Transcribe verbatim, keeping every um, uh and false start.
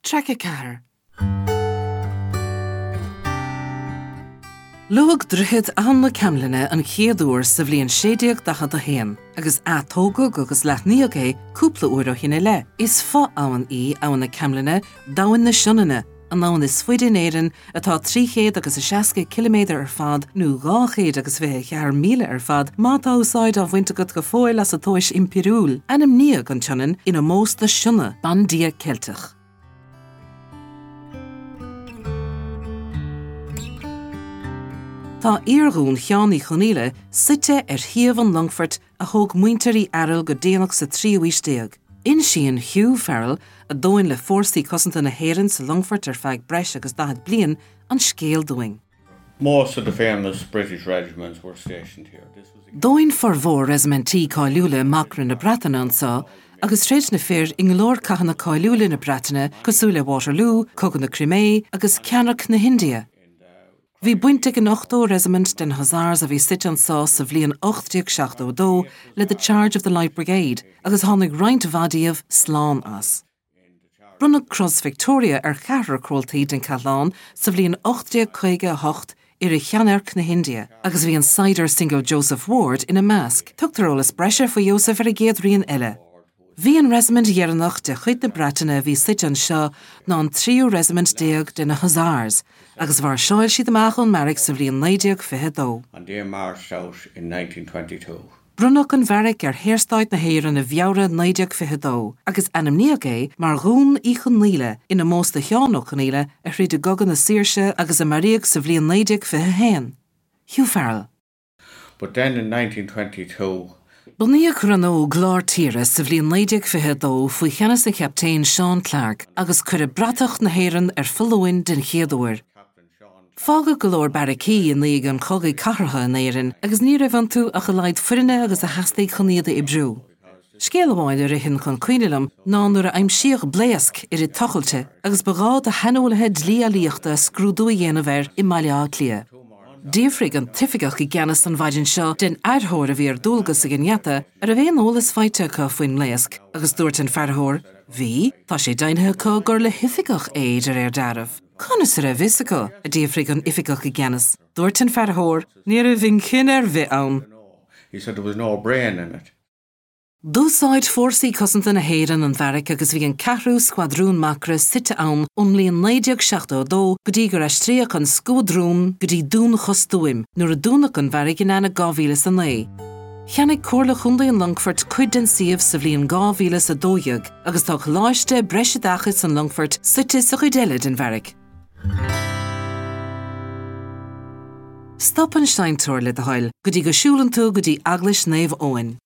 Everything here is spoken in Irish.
Traic a ceathair. Luadh Droichead Abhainn na Camlainne an chéad uair sa bhliain sé déag daichead a haon, agus atógadh agus leathnaíodh é cúpla uair ó shin i leith. Is fo-abhainn í Abhainn na Camlainne d'Abhainn na Sionainne, an abhainn is faide in Éirinn atá trí chéad agus a seasca ciliméadar ar fad nó dhá chéad agus fiche a ceathair míle ar fad má tá úsáid á bhaint agat go fóill as an tomhas impiriúil. Ainmníodh an tSionainn in ómós do Sionna, bandia Ceilteach. Tá iardhún Sheáin Uí Chonaola suite ar shuíomh an longfoirt a thóg muintir Uí Fhearghail go déanach sa tríú haois déag. Insíonn Hugh Farrell, a d'fhóin le Fórsaí Cosanta na hÉireann sa longfort ar feadh breis agus daichead bliain, an scéal dúinn. Most of the famous British regiments were stationed here. This was D'fhóin formhór reisimintí cáiliúla Macra na Breataine anseo agus throid na fir i go leor cathanna cáiliúla na Breataine cosúil le Waterloo, Cogadh na Crimé agus Ceannairc na hIndia. Bhí baint ag an ochtó reisimint den Hussars a bhí suite anseo sa bhliain ocht déag seachtó a dó le The Charge of the Light Brigade agus tháinig roinnt mhaith díobh slán as. Bronnadh Cros Victoria ar cheathrar comhaltaí den chathlán sa bhliain ocht déag caoga a hocht i rith Cheannairc na hIndia, agus bhí an saighdiúir Single Joseph Ward ina measc. Tugtar eolas breise faoi Joseph ar an gcéad rian eile. Bhí an reisimint dheireanach de chuid na Breataine a bhí suite anseo ná an tríú reisimint déag de na Hussars, agus mhairseáil siad amach ón mbeairic sa bhliain naoi déag fiche a dó. And they marched out in nineteen twenty-two. Bronnadh an bheairic ar Shaorstát na hÉireann i bhFeabhra naoi déag fiche a dó, agus ainmníodh é mar Dhún Uí Chonaola in ómós do Sheán Ó Conaola a throid i gCogadh na Saoirse agus a maraíodh sa bhliain naoi déag fiche a haon. Hugh Farrell. But then in nineteen twenty-two, Bunaíodh Rannóg Lár Tíre sa bhliain naoi déag fiche a dó faoi cheannas an Chaptaein Seán Clarke agus cuireadh bratach na hÉireann ar foluain den chéad uair. Fágadh go leor beairicí i ndiaidh an chogaidh cathartha in Éirinn agus ní raibh iontu ach a laghad foirne agus a theastaigh chun iad a oibriú. Scéal amháin a ritheann chun cuimhne liom ná nuair a aimsíodh blaosc i rith tochailte agus ba ghá do shaineolaithe dlí-eolaíochta scrúdú a dhéanamh air i mBaile Átha Cliath. D'fhiafraigh an t-oifigeach i gceannas an mhaidin seo den fhairtheoir a bhí ar dualgas ag an ngeata an raibh aon eolas faighte acu faoin mblaosc agus dúirt an fairtheoir, Bhí, tá sé deimhnithe acu gur le hoifigeach é de réir dealraimh. Conas a raibh fhios acu, a d'fhiafraigh an oifigeach i gceannas. Dúirt an fairtheoir, Ní raibh inchinn ar bith ann. He said there was no brain in it. D'úsáid Fórsaí Cosanta na hÉireann an bheairic agus bhí an ceathrú scuadrún Macra suite ann ón mbliain naoi déag seachtó a dó go dtí gur aistríodh an scuadrún go dtí Dún Chostúim nuair a dúnadh an bheairic in Eanáir dhá mhíle is a naoi. Cheannaigh Comhairle Chontae an Longfoirt cuid den suíomh sa bhliain dhá mhíle is a dó dhéag agus tá Coláiste Breisoideachais an Longfoirt suite sa chuid eile den bheairic. Stop an seinnteoir le do thoil go dtí go siúlann tú go dtí Eaglais Naomh Eoin.